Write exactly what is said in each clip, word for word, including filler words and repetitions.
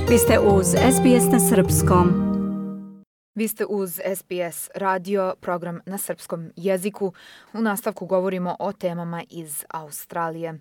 Vi ste uz es be es na srpskom. Vi ste uz es be es radio, program na srpskom jeziku. U nastavku govorimo o temama iz Australije.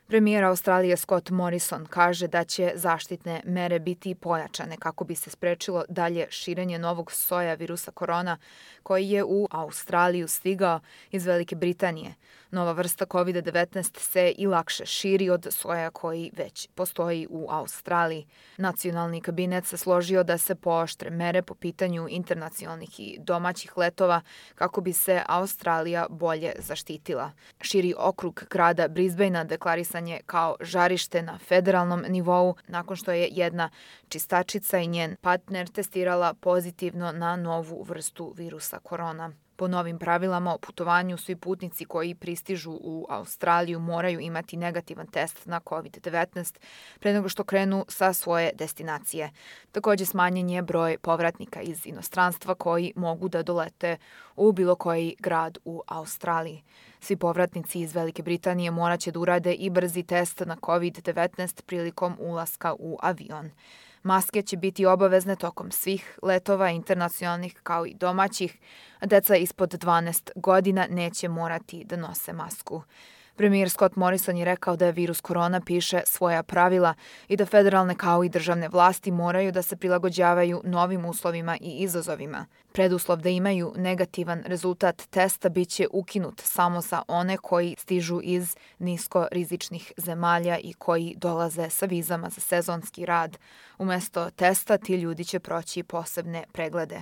Premijer Australije Scott Morrison kaže da će zaštitne mere biti pojačane kako bi se sprečilo dalje širenje novog soja virusa korona koji je u Australiju stigao iz Velike Britanije. Nova vrsta kovid devetnaest se i lakše širi od soja koji već postoji u Australiji. Nacionalni kabinet se složio da se pooštre mere po pitanju internacionalnih i domaćih letova kako bi se Australija bolje zaštitila. Širi okrug grada Brisbanea deklarisan je kao žarište na federalnom nivou nakon što je jedna čistačica i njen partner testirala pozitivno na novu vrstu virusa korona. Po novim pravilama o putovanju, svi putnici koji pristižu u Australiju moraju imati negativan test na kovid devetnaest pre nego što krenu sa svoje destinacije. Također smanjen je broj povratnika iz inostranstva koji mogu da dolete u bilo koji grad u Australiji. Svi povratnici iz Velike Britanije morat će da urade i brzi test na kovid devetnaest prilikom ulaska u avion. Maske će biti obavezne tokom svih letova internacionalnih kao i domaćih, a deca ispod dvanaest godina neće morati da nose masku. Premijer Scott Morrison je rekao da virus korona piše svoja pravila i da federalne kao i državne vlasti moraju da se prilagođavaju novim uslovima i izazovima. Preduslov da imaju negativan rezultat testa biće ukinut samo za one koji stižu iz niskorizičnih zemalja i koji dolaze sa vizama za sezonski rad. Umesto testa ti ljudi će proći posebne preglede.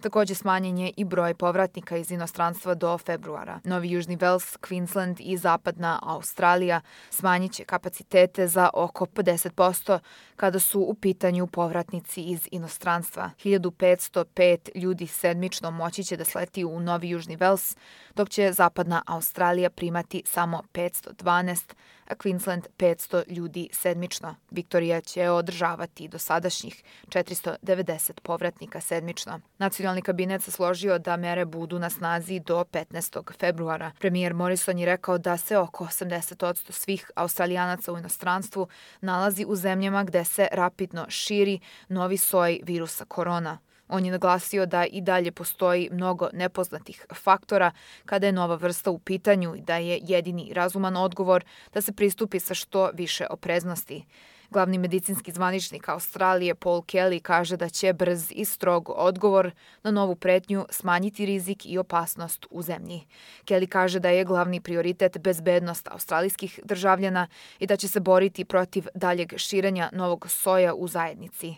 Također smanjen je i broj povratnika iz inostranstva do februara. Novi Južni Vels, Queensland i zapadna Australija smanjit će kapacitete za oko pedeset posto kada su u pitanju povratnici iz inostranstva. hiljadu petsto pet ljudi sedmično moći će da sleti u Novi Južni Vels, dok će zapadna Australija primati samo petsto dvanaest, a Queensland petsto ljudi sedmično. Viktorija će održavati dosadašnjih četiristo devedeset povratnika sedmično. Nacionalni kabinet se složio da mere budu na snazi do petnaestog februara. Premijer Morrison je rekao da se oko osamdeset posto svih Australijanaca u inostranstvu nalazi u zemljama gde se rapidno širi novi soj virusa korona. On je naglasio da i dalje postoji mnogo nepoznatih faktora kada je nova vrsta u pitanju i da je jedini razuman odgovor da se pristupi sa što više opreznosti. Glavni medicinski zvaničnik Australije Paul Kelly kaže da će brz i strog odgovor na novu pretnju smanjiti rizik i opasnost u zemlji. Kelly kaže da je glavni prioritet bezbednost australijskih državljana i da će se boriti protiv daljeg širenja novog soja u zajednici.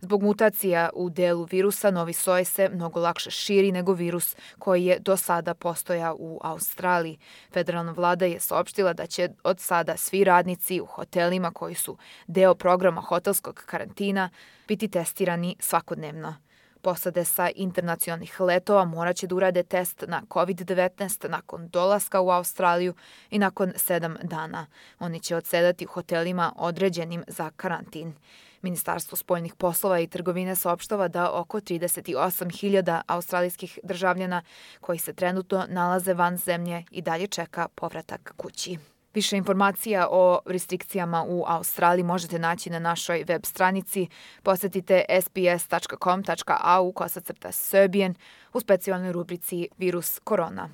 Zbog mutacija u delu virusa, novi soj se mnogo lakše širi nego virus koji je do sada postojao u Australiji. Federalna vlada je saopštila da će od sada svi radnici u hotelima koji su deo programa hotelskog karantina biti testirani svakodnevno. Posade sa internacionalnih letova morat će da urade test na kovid devetnaest nakon dolaska u Australiju i nakon sedam dana. Oni će odsedati u hotelima određenim za karantin. Ministarstvo spoljnih poslova i trgovine saopštava da oko trideset osam hiljada australijskih državljana koji se trenutno nalaze van zemlje i dalje čeka povratak kući. Više informacija o restrikcijama u Australiji možete naći na našoj web stranici. Posetite es be es tačka com tačka a u kosacrta Serbian u specijalnoj rubrici Virus korona.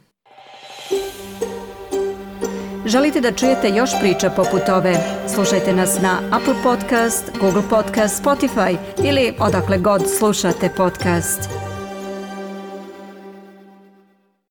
Želite da čujete još priča poput ove? Slušajte nas na Apple Podcast, Google Podcast, Spotify ili odakle god slušate podcast.